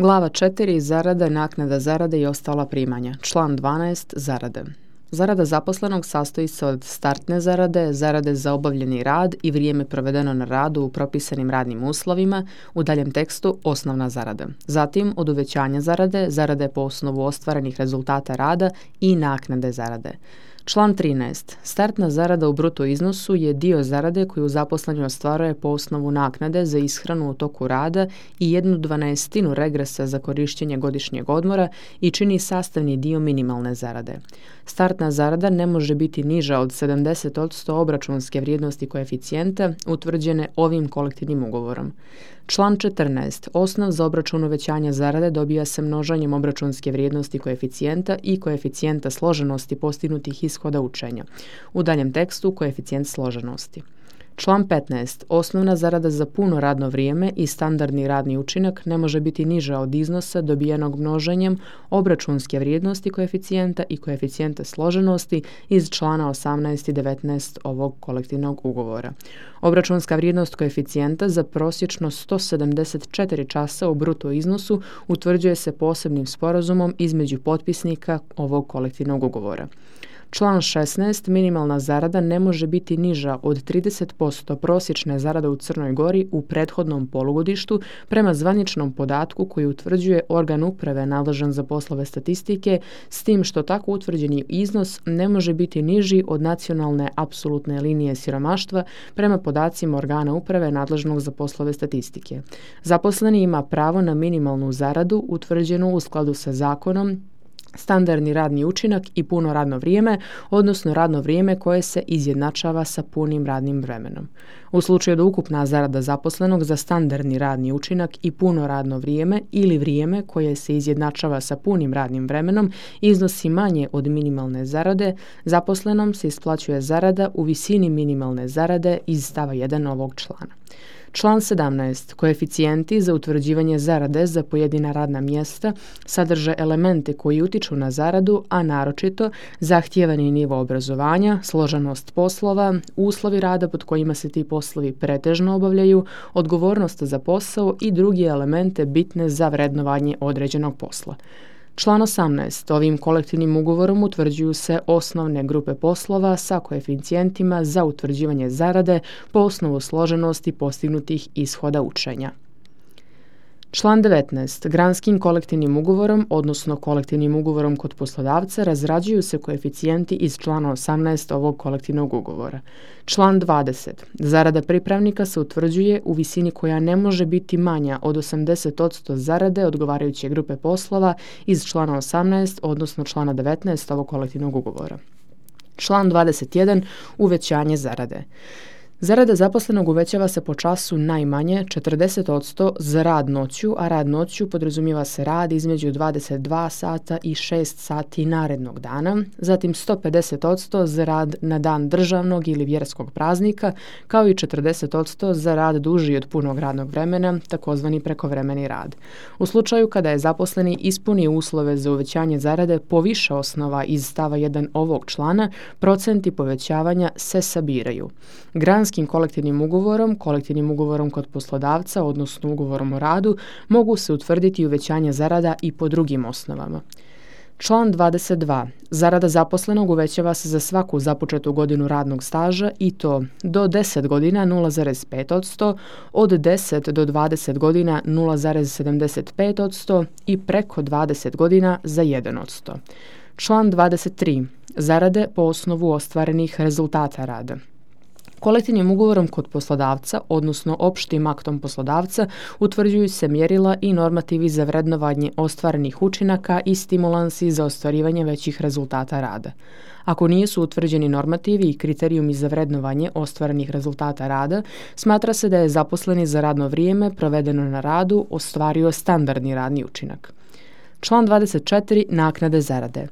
Glava 4. Zarada, naknada zarade i ostala primanja. Član 12. Zarade. Zarada zaposlenog sastoji se od startne zarade, zarade za obavljeni rad i vrijeme provedeno na radu u propisanim radnim uslovima, u daljem tekstu osnovna zarada. Zatim od uvećanja zarade, zarade po osnovu ostvarenih rezultata rada i naknade zarade. Član 13. Startna zarada u bruto iznosu je dio zarade koju zaposleni ostvaruje po osnovu naknade za ishranu u toku rada i 1/12 regresa za korištenje godišnjeg odmora i čini sastavni dio minimalne zarade. Startna zarada ne može biti niža od 70% obračunske vrijednosti koeficijenta utvrđene ovim kolektivnim ugovorom. Član 14. Osnov za obračun uvećanja zarade dobija se množenjem obračunske vrijednosti koeficijenta i koeficijenta složenosti postignutih ishoda učenja. U daljem tekstu koeficijent složenosti. Član 15. Osnovna zarada za puno radno vrijeme i standardni radni učinak ne može biti niža od iznosa dobijenog množenjem obračunske vrijednosti koeficijenta i koeficijenta složenosti iz člana 18 i 19 ovog kolektivnog ugovora. Obračunska vrijednost koeficijenta za prosječno 174 časa u bruto iznosu utvrđuje se posebnim sporazumom između potpisnika ovog kolektivnog ugovora. Član 16. Minimalna zarada ne može biti niža od 30% prosječne zarade u Crnoj Gori u prethodnom polugodištu prema zvaničnom podatku koji utvrđuje organ uprave nadležan za poslove statistike, s tim što tako utvrđeni iznos ne može biti niži od nacionalne apsolutne linije siromaštva prema podacima organa uprave nadležnog za poslove statistike. Zaposleni ima pravo na minimalnu zaradu utvrđenu u skladu sa zakonom, standardni radni učinak i puno radno vrijeme, odnosno radno vrijeme koje se izjednačava sa punim radnim vremenom. U slučaju da ukupna zarada zaposlenog za standardni radni učinak i puno radno vrijeme ili vrijeme koje se izjednačava sa punim radnim vremenom iznosi manje od minimalne zarade, zaposlenom se isplaćuje zarada u visini minimalne zarade iz stava 1 ovog člana. Član 17. Koeficijenti za utvrđivanje zarade za pojedina radna mjesta sadrže elemente koji utiču na zaradu, a naročito zahtijevani nivo obrazovanja, složenost poslova, uslovi rada pod kojima se ti poslovi pretežno obavljaju, odgovornost za posao i drugi elemente bitne za vrednovanje određenog posla. Član 18. Ovim kolektivnim ugovorom utvrđuju se osnovne grupe poslova sa koeficijentima za utvrđivanje zarade po osnovu složenosti postignutih ishoda učenja. Član 19. Granskim kolektivnim ugovorom, odnosno kolektivnim ugovorom kod poslodavca, razrađuju se koeficijenti iz člana 18 ovog kolektivnog ugovora. Član 20. Zarada pripravnika se utvrđuje u visini koja ne može biti manja od 80% zarade odgovarajuće grupe poslova iz člana 18, odnosno člana 19 ovog kolektivnog ugovora. Član 21. Uvećanje zarade. Zarada zaposlenog uvećava se po času najmanje 40% za rad noću, a rad noću podrazumijeva se rad između 22 sata i 6 sati narednog dana, zatim 150% za rad na dan državnog ili vjerskog praznika, kao i 40% za rad duži od punog radnog vremena, takozvani prekovremeni rad. U slučaju kada je zaposleni ispunio uslove za uvećanje zarade po više osnova iz stava 1 ovog člana, procenti povećavanja se sabiraju. Granskim kolektivnim ugovorom kod poslodavca, odnosno ugovorom o radu, mogu se utvrditi uvećanje zarada i po drugim osnovama. Član 22. Zarada zaposlenog uvećava se za svaku započetu godinu radnog staža i to do 10 godina 0,5%, od 10 do 20 godina 0,75% i preko 20 godina za 1%. Član 23. Zarade po osnovu ostvarenih rezultata rada. Kolektivnim ugovorom kod poslodavca, odnosno opštim aktom poslodavca, utvrđuju se mjerila i normativi za vrednovanje ostvarenih učinaka i stimulansi za ostvarivanje većih rezultata rada. Ako nisu utvrđeni normativi i kriterijumi za vrednovanje ostvarenih rezultata rada, smatra se da je zaposleni za radno vrijeme provedeno na radu ostvario standardni radni učinak. Član 24. Naknade zarade.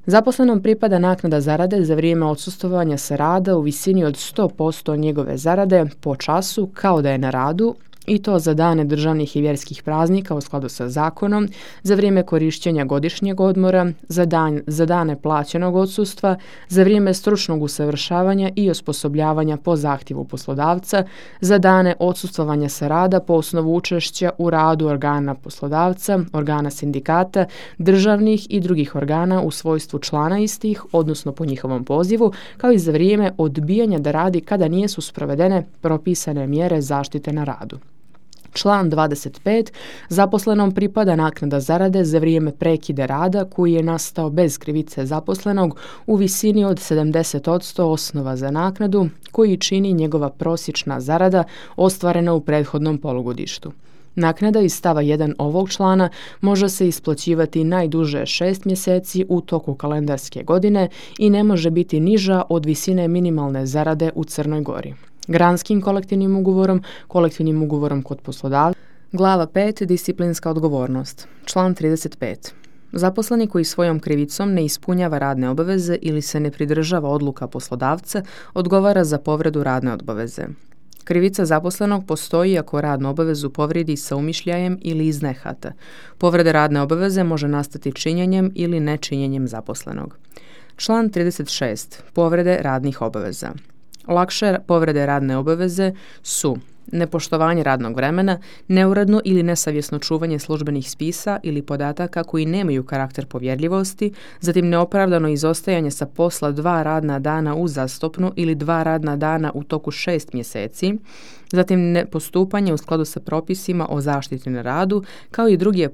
Zaposlenom pripada naknada zarade za vrijeme odsustvovanja sa rada u visini od 100% njegove zarade po času kao da je na radu i to za dane državnih i vjerskih praznika u skladu sa zakonom, za vrijeme korištenja godišnjeg odmora, za dane plaćenog odsustva, za vrijeme stručnog usavršavanja i osposobljavanja po zahtjevu poslodavca, za dane odsustvovanja sa rada po osnovu učešća u radu organa poslodavca, organa sindikata, državnih i drugih organa u svojstvu člana istih, odnosno po njihovom pozivu, kao i za vrijeme odbijanja da radi kada nisu sprovedene propisane mjere zaštite na radu. Član 25. Zaposlenom pripada naknada zarade za vrijeme prekida rada koji je nastao bez krivice zaposlenog u visini od 70% osnova za naknadu koji čini njegova prosječna zarada ostvarena u prethodnom polugodištu. Naknada iz stava 1 ovog člana može se isplaćivati najduže 6 mjeseci u toku kalendarske godine i ne može biti niža od visine minimalne zarade u Crnoj Gori. Granskim kolektivnim ugovorom kod poslodavca. Glava 5. Disciplinska odgovornost. Član 35. Zaposleni koji svojom krivicom ne ispunjava radne obaveze ili se ne pridržava odluka poslodavca odgovara za povredu radne obaveze. Krivica zaposlenog postoji ako radnu obavezu povrijedi sa umišljajem ili iz nehata. Povreda radne obaveze može nastati činjenjem ili nečinjenjem zaposlenog. Član 36. Povrede radnih obaveza. Lakše povrede radne obaveze su nepoštovanje radnog vremena, neuredno ili nesavjesno čuvanje službenih spisa ili podataka koji nemaju karakter povjerljivosti, zatim neopravdano izostajanje sa posla 2 radna dana uzastopno ili 2 radna dana u toku 6 mjeseci, zatim nepostupanje u skladu sa propisima o zaštiti na radu, kao i druge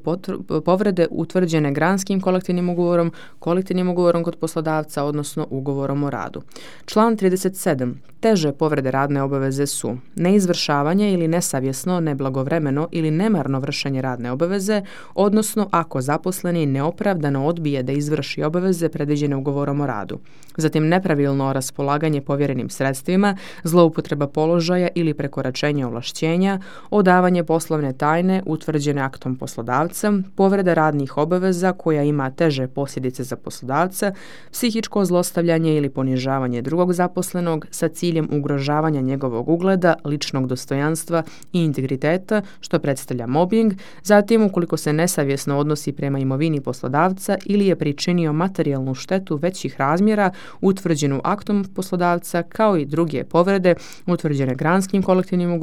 povrede utvrđene granskim kolektivnim ugovorom kod poslodavca, odnosno ugovorom o radu. Član 37. Teže povrede radne obaveze su neizvršavanje ili nesavjesno, neblagovremeno ili nemarno vršenje radne obaveze, odnosno ako zaposleni neopravdano odbije da izvrši obaveze predviđene ugovorom o radu. Zatim nepravilno raspolaganje povjerenim sredstvima, zloupotreba položaja ili prekoračenje ovlašćenja, odavanje poslovne tajne utvrđene aktom poslodavca, povreda radnih obaveza koja ima teže posljedice za poslodavca, psihičko zlostavljanje ili ponižavanje drugog zaposlenog sa ciljem ugrožavanja njegovog ugleda, ličnog dostojanstva i integriteta, što predstavlja mobbing, zatim ukoliko se nesavjesno odnosi prema imovini poslodavca ili je pričinio materijalnu štetu većih razmjera utvrđenu aktom poslodavca, kao i druge povrede utvrđene granskim kolektivnim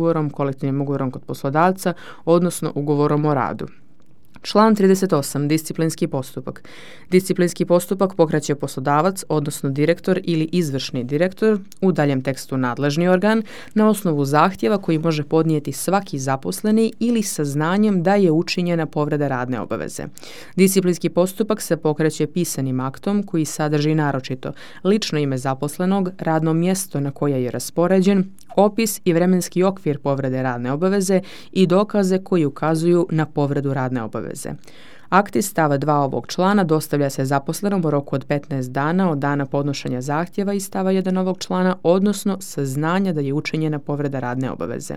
ugovorom kod poslodavca, odnosno ugovorom o radu. Član 38. Disciplinski postupak. Disciplinski postupak pokreće poslodavac, odnosno direktor ili izvršni direktor, u daljem tekstu nadležni organ, na osnovu zahtjeva koji može podnijeti svaki zaposleni ili saznanjem da je učinjena povreda radne obaveze. Disciplinski postupak se pokreće pisanim aktom koji sadrži naročito lično ime zaposlenog, radno mjesto na koje je raspoređen, opis i vremenski okvir povrede radne obaveze i dokaze koji ukazuju na povredu radne obaveze. Akt iz stava 2 ovog člana dostavlja se zaposlenom u roku od 15 dana od dana podnošenja zahtjeva iz stava 1 ovog člana, odnosno saznanja da je učinjena povreda radne obaveze.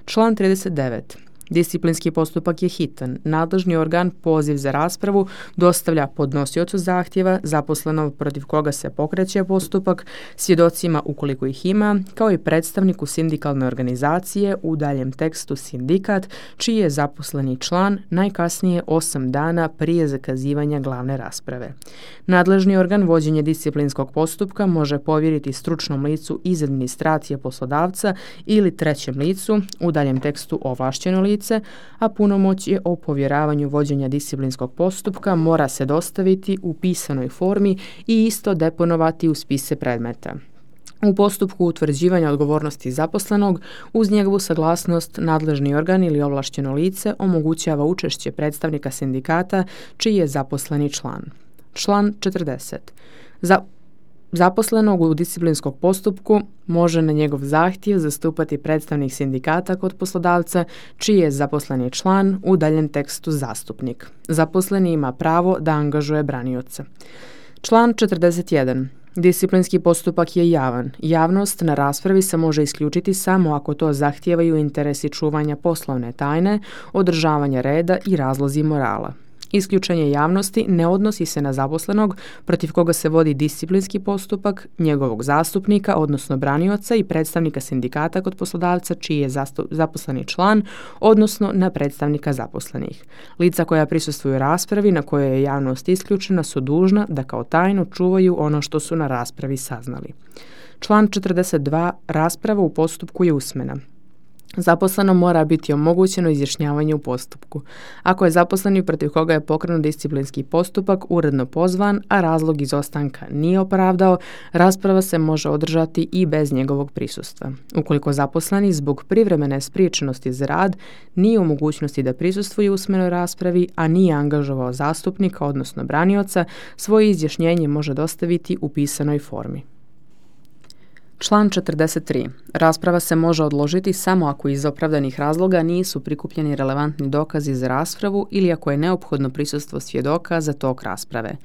Član 39. Disciplinski postupak je hitan. Nadležni organ poziv za raspravu dostavlja podnosiocu zahtjeva, zaposlenog protiv koga se pokreće postupak, svjedocima ukoliko ih ima, kao i predstavniku sindikalne organizacije, u daljem tekstu sindikat, čiji je zaposleni član najkasnije 8 dana prije zakazivanja glavne rasprave. Nadležni organ vođenje disciplinskog postupka može povjeriti stručnom licu iz administracije poslodavca ili trećem licu, u daljem tekstu ovlašteno lice, a punomoćje o povjeravanju vođenja disciplinskog postupka mora se dostaviti u pisanoj formi i isto deponovati u spise predmeta. U postupku utvrđivanja odgovornosti zaposlenog, uz njegovu saglasnost, nadležni organ ili ovlašteno lice omogućava učešće predstavnika sindikata čiji je zaposleni član. Član 40. Zaposlenog u disciplinskog postupku može na njegov zahtjev zastupati predstavnik sindikata kod poslodavca čiji je zaposleni član, u daljem tekstu zastupnik. Zaposleni ima pravo da angažuje branioca. Član 41. Disciplinski postupak je javan. Javnost na raspravi se može isključiti samo ako to zahtijevaju interesi čuvanja poslovne tajne, održavanja reda i razlozi morala. Isključenje javnosti ne odnosi se na zaposlenog protiv koga se vodi disciplinski postupak, njegovog zastupnika, odnosno branioca i predstavnika sindikata kod poslodavca čiji je zaposleni član, odnosno na predstavnika zaposlenih. Lica koja prisustvuju raspravi na kojoj je javnost isključena su dužna da kao tajnu čuvaju ono što su na raspravi saznali. Član 42. Rasprava u postupku je usmena. Zaposlenom mora biti omogućeno izjašnjavanje u postupku. Ako je zaposleni protiv koga je pokrenut disciplinski postupak uredno pozvan, a razlog izostanka nije opravdao, rasprava se može održati i bez njegovog prisustva. Ukoliko zaposleni zbog privremene spriječenosti za rad nije u mogućnosti da prisustvuje usmenoj raspravi, a nije angažovao zastupnika, odnosno branioca, svoje izjašnjenje može dostaviti u pisanoj formi. Član 43. Rasprava se može odložiti samo ako iz opravdanih razloga nisu prikupljeni relevantni dokazi za raspravu ili ako je neophodno prisustvo svjedoka za tok rasprave.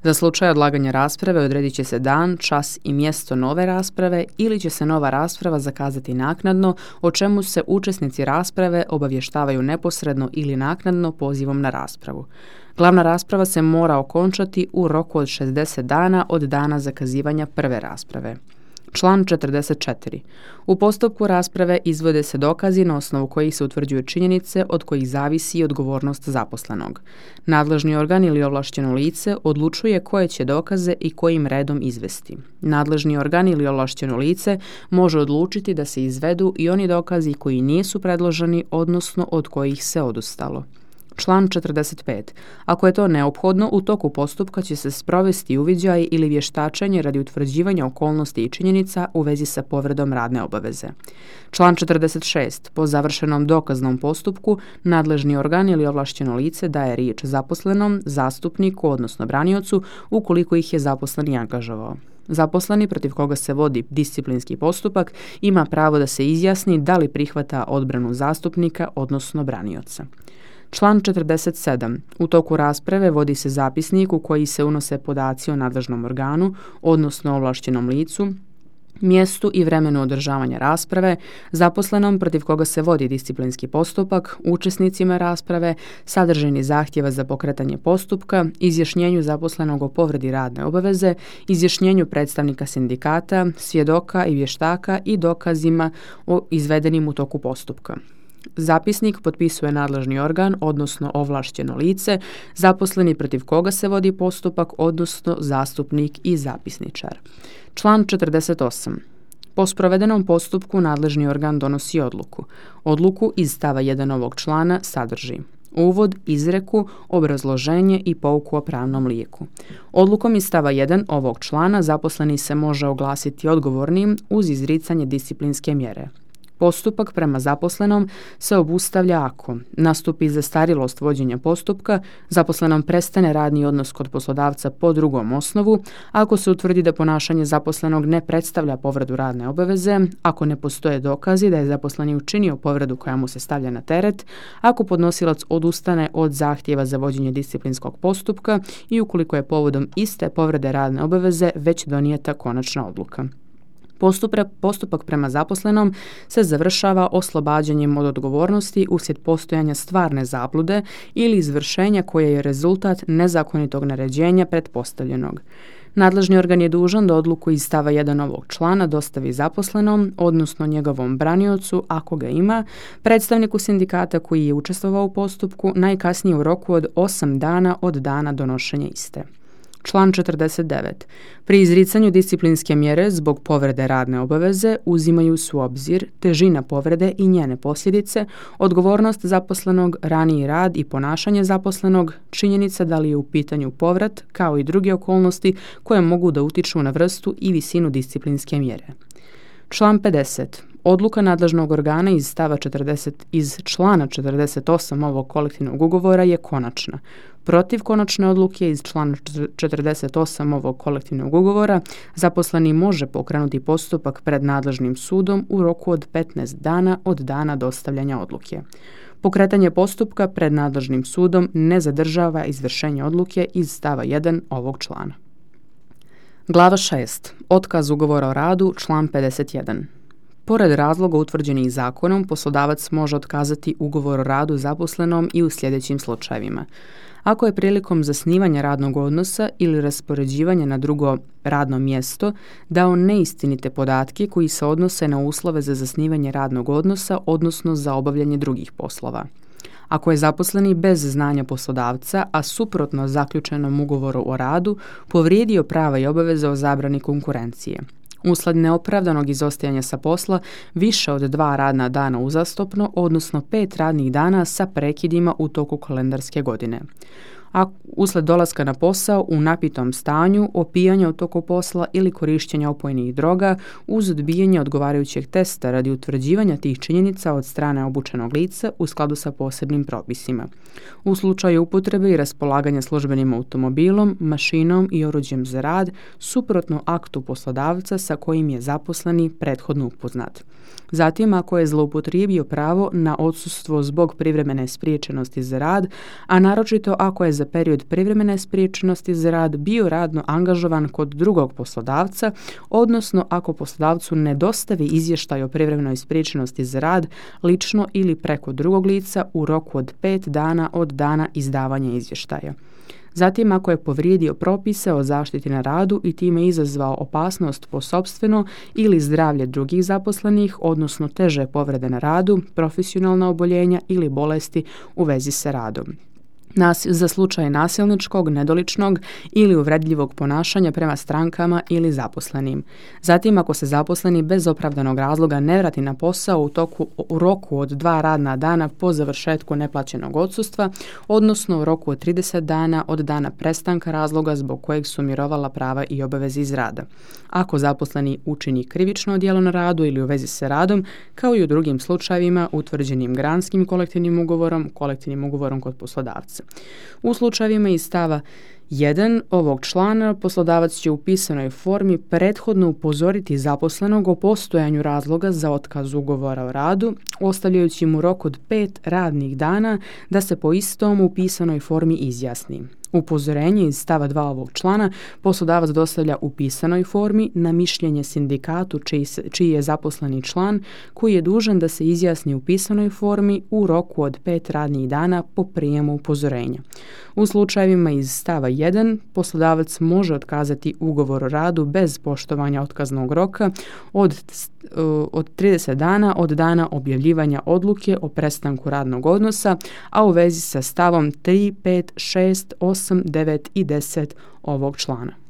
Za slučaj odlaganja rasprave odredit će se dan, čas i mjesto nove rasprave ili će se nova rasprava zakazati naknadno, o čemu se učesnici rasprave obavještavaju neposredno ili naknadno pozivom na raspravu. Glavna rasprava se mora okončati u roku od 60 dana od dana zakazivanja prve rasprave. Član 44. U postupku rasprave izvode se dokazi na osnovu kojih se utvrđuju činjenice od kojih zavisi odgovornost zaposlenog. Nadležni organ ili ovlašteno lice odlučuje koje će dokaze i kojim redom izvesti. Nadležni organ ili ovlašteno lice može odlučiti da se izvedu i oni dokazi koji nisu predloženi, odnosno od kojih se odustalo. Član 45. Ako je to neophodno, u toku postupka će se sprovesti uviđaj ili vještačenje radi utvrđivanja okolnosti i činjenica u vezi sa povredom radne obaveze. Član 46. Po završenom dokaznom postupku, nadležni organ ili ovlašteno lice daje riječ zaposlenom, zastupniku, odnosno braniocu, ukoliko ih je zaposleni angažovao. Zaposleni protiv koga se vodi disciplinski postupak ima pravo da se izjasni da li prihvata odbranu zastupnika, odnosno branioca. Član 47. U toku rasprave vodi se zapisnik u koji se unose podaci o nadležnom organu, odnosno ovlaštenom licu, mjestu i vremenu održavanja rasprave, zaposlenom protiv koga se vodi disciplinski postupak, učesnicima rasprave, sadržini zahtjeva za pokretanje postupka, izjašnjenju zaposlenog o povredi radne obaveze, izjašnjenju predstavnika sindikata, svjedoka i vještaka i dokazima o izvedenim u toku postupka. Zapisnik potpisuje nadležni organ, odnosno ovlašteno lice, zaposleni protiv koga se vodi postupak, odnosno zastupnik i zapisničar. Član 48. Po sprovedenom postupku nadležni organ donosi odluku. Odluku iz stava 1 ovog člana sadrži uvod, izreku, obrazloženje i pouku o pravnom lijeku. Odlukom iz stava 1 ovog člana zaposleni se može oglasiti odgovornim uz izricanje disciplinske mjere. Postupak prema zaposlenom se obustavlja ako nastupi zastarjelost vođenja postupka, zaposlenom prestane radni odnos kod poslodavca po drugom osnovu, ako se utvrdi da ponašanje zaposlenog ne predstavlja povredu radne obaveze, ako ne postoje dokazi da je zaposleni učinio povredu koja mu se stavlja na teret, ako podnosilac odustane od zahtjeva za vođenje disciplinskog postupka i ukoliko je povodom iste povrede radne obaveze već donijeta konačna odluka. Postupak prema zaposlenom se završava oslobađanjem od odgovornosti uslijed postojanja stvarne zablude ili izvršenja koje je rezultat nezakonitog naređenja pretpostavljenog. Nadležni organ je dužan da odluku iz stava 1 ovog člana dostavi zaposlenom, odnosno njegovom braniocu, ako ga ima, predstavniku sindikata koji je učestvovao u postupku, najkasnije u roku od 8 dana od dana donošenja iste. Član 49. Pri izricanju disciplinske mjere zbog povrede radne obaveze uzimaju se u obzir težina povrede i njene posljedice, odgovornost zaposlenog, raniji rad i ponašanje zaposlenog, činjenica da li je u pitanju povrat, kao i druge okolnosti koje mogu da utiču na vrstu i visinu disciplinske mjere. Član 50. Odluka nadležnog organa iz člana 48 ovog kolektivnog ugovora je konačna. Protiv konačne odluke iz člana 48 ovog kolektivnog ugovora zaposleni može pokrenuti postupak pred nadležnim sudom u roku od 15 dana od dana dostavljanja odluke. Pokretanje postupka pred nadležnim sudom ne zadržava izvršenje odluke iz stava 1 ovog člana. Glava 6. Otkaz ugovora o radu, član 51. Pored razloga utvrđenih zakonom, poslodavac može otkazati ugovor o radu zaposlenom i u sljedećim slučajevima. Ako je prilikom zasnivanja radnog odnosa ili raspoređivanja na drugo radno mjesto dao neistinite podatke koji se odnose na uslove za zasnivanje radnog odnosa, odnosno za obavljanje drugih poslova. Ako je zaposleni bez znanja poslodavca, a suprotno zaključenom ugovoru o radu, povrijedio prava i obaveze o zabrani konkurencije. Usled neopravdanog izostajanja sa posla više od 2 radna dana uzastopno, odnosno 5 radnih dana sa prekidima u toku kalendarske godine. A usled dolaska na posao u napitom stanju, opijanja u toku posla ili korištenja opojnih droga uz odbijanje odgovarajućeg testa radi utvrđivanja tih činjenica od strane obučenog lica u skladu sa posebnim propisima. U slučaju upotrebe i raspolaganja službenim automobilom, mašinom i oruđem za rad, suprotno aktu poslodavca sa kojim je zaposleni prethodno upoznat. Zatim, ako je zloupotrijebio pravo na odsustvo zbog privremene spriječenosti za rad, a naročito ako je za period privremene spriječenosti za rad bio radno angažovan kod drugog poslodavca, odnosno ako poslodavcu ne dostavi izvještaj o privremenoj spriječenosti za rad lično ili preko drugog lica u roku od 5 dana od dana izdavanja izvještaja. Zatim, ako je povrijedio propise o zaštiti na radu i time izazvao opasnost po sopstveno ili zdravlje drugih zaposlenih, odnosno teže povrede na radu, profesionalna oboljenja ili bolesti u vezi sa radom. Za slučaj nasilničkog, nedoličnog ili uvredljivog ponašanja prema strankama ili zaposlenim. Zatim, ako se zaposleni bez opravdanog razloga ne vrati na posao u roku od 2 radna dana po završetku neplaćenog odsustva, odnosno u roku od 30 dana od dana prestanka razloga zbog kojeg su mirovala prava i obaveze iz rada. Ako zaposleni učini krivično djelo na radu ili u vezi sa radom, kao i u drugim slučajevima utvrđenim granskim kolektivnim ugovorom kod poslodavca. U slučajevima iz stava 1 ovog člana poslodavac će u pisanoj formi prethodno upozoriti zaposlenog o postojanju razloga za otkaz ugovora o radu, ostavljajući mu rok od 5 radnih dana da se po istom u pisanoj formi izjasni. Upozorenje iz stava 2 ovog člana poslodavac dostavlja u pisanoj formi na mišljenje sindikatu čiji je zaposleni član, koji je dužan da se izjasni u pisanoj formi u roku od 5 radnih dana po prijemu upozorenja. U slučajevima iz stava 1 poslodavac može otkazati ugovor o radu bez poštovanja otkaznog roka od 30 dana od dana objavljivanja odluke o prestanku radnog odnosa, a u vezi sa stavom 3, 5, 6, 8, 9 i 10 ovog člana.